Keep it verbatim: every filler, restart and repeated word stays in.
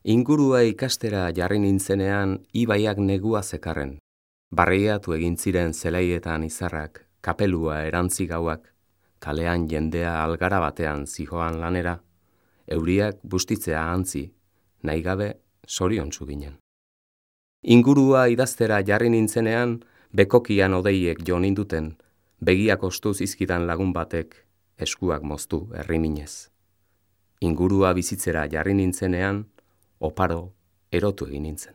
Ingurua ikastera jarri nintzenean ibaiak negua zekarren. Barreiatu egin ziren zelaietan izarrak, kapelua erantzi gauak, kalean jendea algara batean zihoan lanera, euriak bustitzea antzi, nahi gabe zoriontsu ginen. Ingurua idaztera jarri nintzenean, bekokian odeiek jo ninduten, begiak ostu zizkidan lagun batek eskuak moztu erriminez. Ingurua bizitzera jarri nintzenean, oparo erotu egin nintzen.